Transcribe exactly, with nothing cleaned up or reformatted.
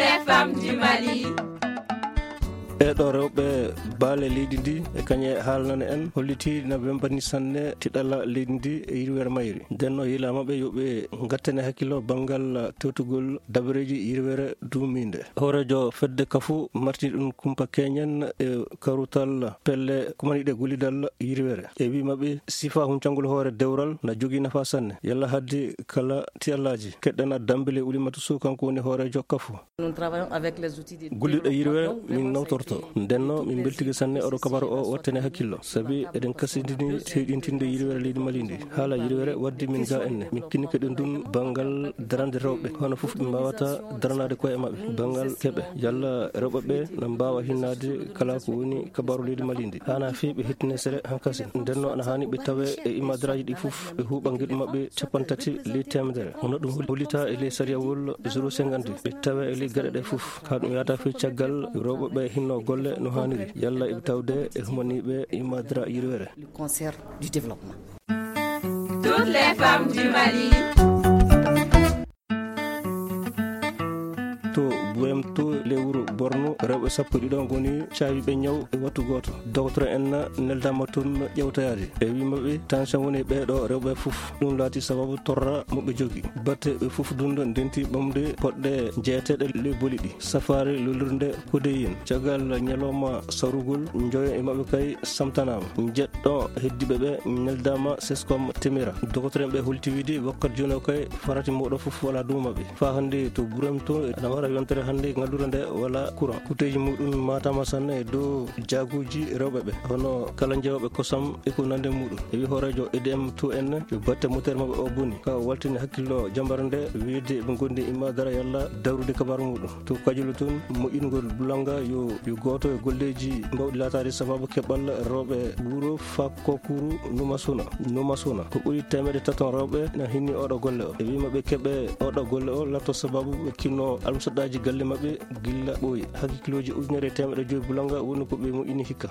Les femmes du Mali. E ɗo rewɓe baale leydi ndi e kañe haalnane en holliti na wembani sanne tiɗalla leydi ndi e yirwere mayri. Nden o yila maɓɓe yo ɓe ngattane hakkillo banngal tewtugol dabareeji yirwere duumiinde. Hooreejo fedde kafu marti ɗum kumpa keñen e karutal pelle kumaniɗe gullidal yirwere. E wi maɓɓe sifa huncangol hoore dewral na jogii nafa sanne. Yalla haddi kala tiyallaaji. Keɗɗana Dambele Ulimatu Sow, kanko woni hooreejo kafu. Nous travaillons avec les outils de Gulliɗo yirwere min nawtorto. Ndenno min mbeltike sanne oɗo kabaru o wattane hakkillo. Sabi eɗen kasindini teyɗintinde yirwere leydi Mali ndi. Haala yirwere waddi min ga enne. Min kinnike ɗum ɗum banngal darande rewɓe. Hono fof ɓe mbawata daranaade koye maɓɓe. Banngal keɓe. Yalla rewɓe ɓe na mbaawa hinnaade kala ko woni kabaru leydi Mali ndi. Hana fii ɓe hettine sere hankasi. Ndenno ana hani ɓe tawe e imadraji ɗi fof. Ɓe huuɓa ngiɗ maɓɓe capanɗe tati ley teemedere. Hono ɗum hollita e ley sariyawol zéro cinquante. Ɓe tawe e ley gaɗe ɗe fof. Ka ɗum yahata fii caggal rewɓe ɓe hinno golle no haniri. Yalla iɓe tawde e humaniiɓe imadra yirwere. Le concert du développement. Toutes les femmes du Mali. To Burem to lewru Borno, rewɓe sappo e ɗiɗo ngoni caawiiɓe ñaw e wattu gooto. Dogotoro en neldaama toon ƴewtoyaade. E wi maɓɓe, tension woni e ɓee ɗo rewɓe fof. Ɗum laati sababu torra mo ɓe jogi. Batte ɓe fof dunde ndenti ɓamde poɗɗe jeeteɗe ley boli ɗi. Safaari lolirde kodeyin. Caggal ñalawma sarugol, njoyo e maɓɓe kay samtanaama. Jeɗɗo heddiiɓe ɓe neldaama seskom temira. Dogotoro en ɓe holti wiide wakkat jooni o kay farati moɗo fof wala dow maɓɓe. Faa hannde to Burem to ana wara yontere hannde ngalluure nde wala courant. Kuteeji muɗum matama sanne e dow jaaguuji rewɓe ɓe. Hono kala jewooɓe kosam e ko nande muɗum. E wi hooreejo E D M to en yo batte moteur maɓɓe o boni. Ka o waltini hakkillo jambare nde wiide ɓe ngondi imadara yalla dawrude kabaru muɗum. To Kajulu tun moƴƴingol bulanga yo, yo gooto e golleeji mbawɗi laataade sababu keɓal rewɓe wuro Fakokuru Numasuna. Numasuna. Ko ɓuri teemedde taton rewɓe na hinni oɗo golle o. E wi maɓɓe keɓe oɗo golle o latto sababu ɓe kinno almusaɗaji galle maɓɓe gilla ɓooyi. Hakkilooji ujunere e teemedde joyi bulanga woni ko ɓe moƴƴini hikka.